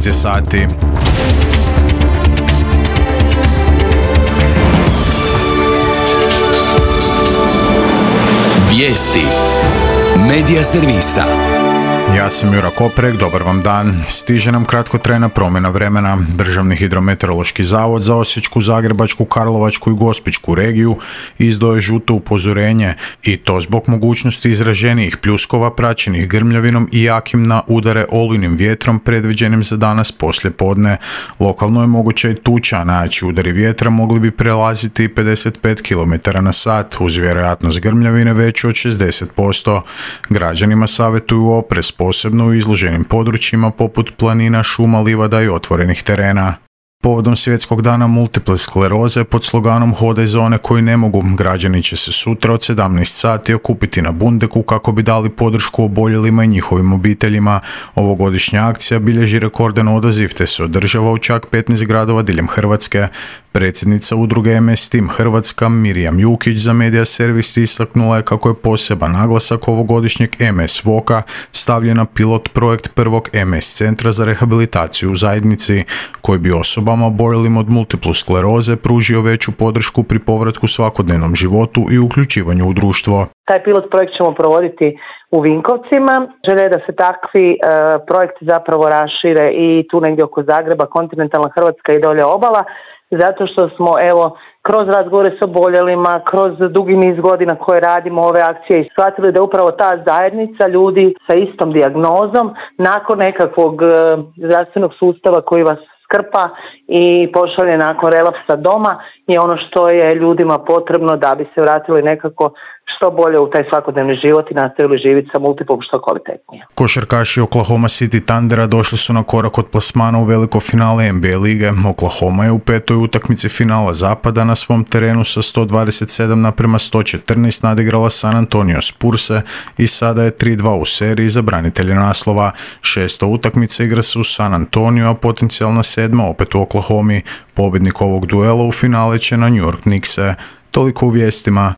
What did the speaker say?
je sati. Vijesti Medija servisa. Ja sam Jura Koprek, dobar vam dan. Stiže nam kratkotrajna promjena vremena. Državni hidrometeorološki zavod za Osječku, Zagrebačku, Karlovačku i Gospićku regiju izdao je žuto upozorenje i to zbog mogućnosti izraženijih pljuskova praćenih grmljavinom i jakim na udare olujnim vjetrom predviđenim za danas poslijepodne. Lokalno je moguća i tuča, najjači udari vjetra mogli bi prelaziti 55 km na sat uz vjerojatnost grmljavine veću od 60%. Građanima savjetuju oprez, posebno u izloženim područjima poput planina, šuma, livada i otvorenih terena. Povodom Svjetskog dana multiple skleroze pod sloganom Hodaj za one koji ne mogu, građani će se sutra od 17 sati okupiti na Bundeku kako bi dali podršku oboljelima i njihovim obiteljima. Ovogodišnja akcija bilježi rekordan odaziv te se održava u čak 15 gradova diljem Hrvatske. Predsjednica udruge MS Team Hrvatska Mirjam Jukić za Medija servis istaknula je kako je poseban naglasak ovogodišnjeg MS Voka stavljen na pilot projekt prvog MS centra za rehabilitaciju u zajednici, koji bi osobama oboljelim od multiplu skleroze pružio veću podršku pri povratku svakodnevnom životu i uključivanju u društvo. Taj pilot projekt ćemo provoditi u Vinkovcima. Želja je da se takvi projekti zapravo rašire i tu negdje oko Zagreba, kontinentalna Hrvatska i dolje obala, zato što smo kroz razgovore s oboljelima, kroz dugi niz godina koje radimo ove akcije i shvatili da upravo ta zajednica ljudi sa istom dijagnozom nakon nekakvog zdravstvenog sustava koji vas skrpa i pošalje nakon relapsa doma je ono što je ljudima potrebno da bi se vratili nekako što bolje u taj svakodnevni život i nastavili živjeti sa multiplom što kvalitetnije. Košarkaši Oklahoma City Thundera došli su na korak od plasmana u veliko finale NBA lige. Oklahoma je u petoj utakmici finala zapada na svom terenu sa 127-114 nadigrala San Antonio Spurse i sada je 3-2 u seriji za branitelje naslova. Šesta utakmica igra se u San Antonio, a potencijalna sedma opet u Oklahomi. Pobjednik ovog duela u finale će na New York Knickse. Toliko u vijestima.